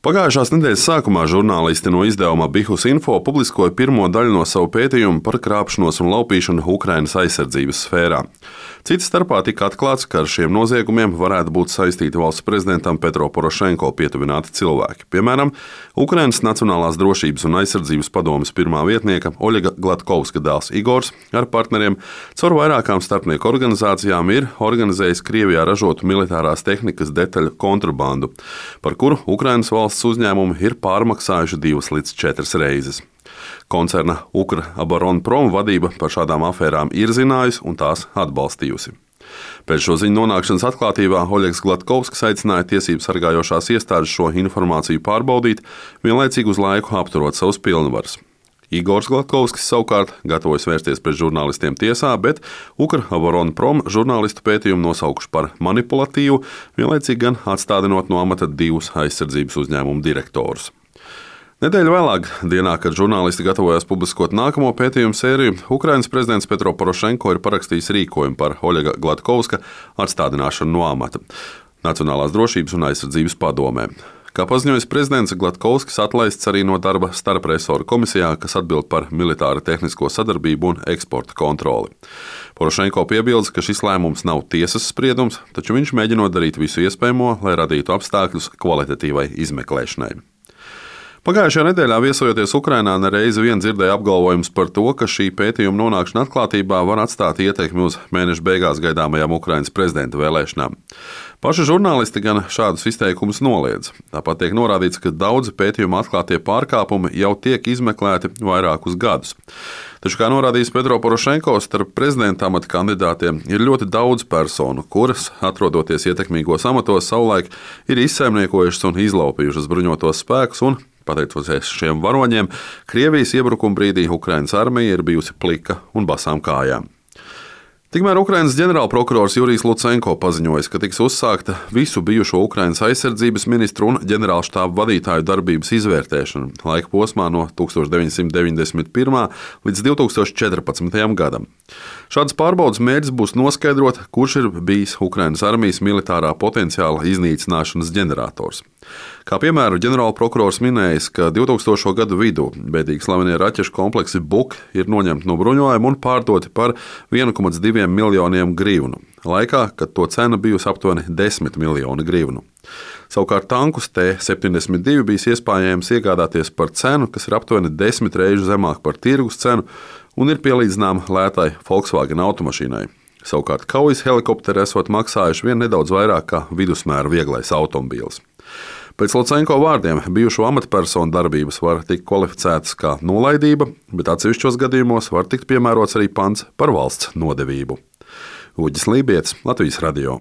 Pagājušās nedēļas sākumā žurnālisti no izdevuma Bihus Info publiskoja pirmo daļu no savu pētījumu par krāpšanos un laupīšanu Ukrainas aizsardzības sfērā. Cita starpā tika atklāts, ka ar šiem noziegumiem varētu būt saistīti valsts prezidentam Petro Porošenko pietuvināti cilvēki. Piemēram, Ukrainas Nacionālās drošības un aizsardzības padomes pirmā vietnieka Oļega Glatkovska dēls Igors ar partneriem caur vairākām starpnieku organizācijām ir organizējis Krievijā ražotu militārās tehnikas detaļu kontrabandu, par kuru Ukrainas valsts uzņēmumi ir pārmaksājuši 2 līdz 4 reizes. Koncerna Ukrbāronprom vadība par šādām afērām ir zinājusi un tās atbalstījusi. Pēc šo ziņu nonākšanas atklātībā Oļegs Glatkovskis aicināja tiesību sargājošās iestādes šo informāciju pārbaudīt, vienlaicīgi uz laiku apturot savus pilnvaras. Igors Glatkovskis savukārt gatavojas vērsties pret žurnālistiem tiesā, bet Ukrbāronprom žurnālistu pētījumu nosaukuši par manipulatīvu, vienlaicīgi gan atstādinot no amata 2 aizsardzības uzņēmumu direktorus. Nedēļu vēlāk, dienā, kad žurnālisti gatavojās publiskot nākamo pētījumu sēriju, Ukrainas prezidents Petro Porošenko ir parakstījis rīkojumu par Oļega Glatkovska atstādināšanu no amata Nacionālās drošības un aizsardzības padomē. Kā paziņojis prezidents, Glatkovskis atlaists arī no darba starpresoru komisijā, kas atbild par militāru tehnisko sadarbību un eksporta kontroli. Porošenko piebilda, ka šis lēmums nav tiesas spriedums, taču viņš mēģinot darīt visu iespējamo, lai radītu apstākļus kvalitatīvai izmeklēšanai. Pagājušajā nedēļā viesojoties Ukrainā, nereizi vien dzirdēja apgalvojumus par to, ka šī pētījuma nonākšana atklātībā var atstāt ietekmi uz mēneša beigās gaidāmajām Ukrainas prezidenta vēlēšanām. Paši žurnālisti gan šādus izteikumus noliedz. Tāpat tiek norādīts, ka daudzi pētījuma atklātie pārkāpumi jau tiek izmeklēti vairākus gadus. Taču, kā norādījis Petro Porošenko, starp prezidenta amata kandidātiem ir ļoti daudz personu, kuras, atrodoties ietekmīgos amatos, savulaik ir izsaimniekojušas un izlaupījušas bruņotos spēkus un, pateicoties šiem varoņiem, Krievijas iebrukuma brīdī Ukrainas armija ir bijusi plika un basām kājām. Tikmēr Ukrainas ģenerālprokurors Jurijs Lucenko paziņojis, ka tiks uzsākta visu bijušo Ukrainas aizsardzības ministru un ģenerālštābu vadītāju darbības izvērtēšana laika posmā no 1991. līdz 2014. gadam. Šādas pārbaudas mērķis būs noskaidrot, kurš ir bijis Ukrainas armijas militārā potenciāla iznīcināšanas ģenerators. Kā piemēru, ģenerālprokurors minējis, ka 2000. gadu vidū bēdīgi slavenie raķešu kompleksi Buk ir noņemti no bruņojuma un pārdoti par 1,2 miljoniem grivnu, laikā, kad to cena bijusi aptuveni 10 miljoni grivnu. Savukārt tankus T-72 bijis iespējams iegādāties par cenu, kas ir aptuveni 10 reizes zemāk par tirgus cenu un ir pielīdzināma lētai Volkswagen automašīnai. Savukārt kaujas helikopteri esot maksājuši vien nedaudz vairāk kā vidusmēra vieglais automobīls. Pēc Lucenko vārdiem bijušo amatpersonu darbības var tikt kvalificētas kā nolaidība, bet atsevišķos gadījumos var tikt piemērots arī pants par valsts nodevību. Uģis Lībietis, Latvijas radio.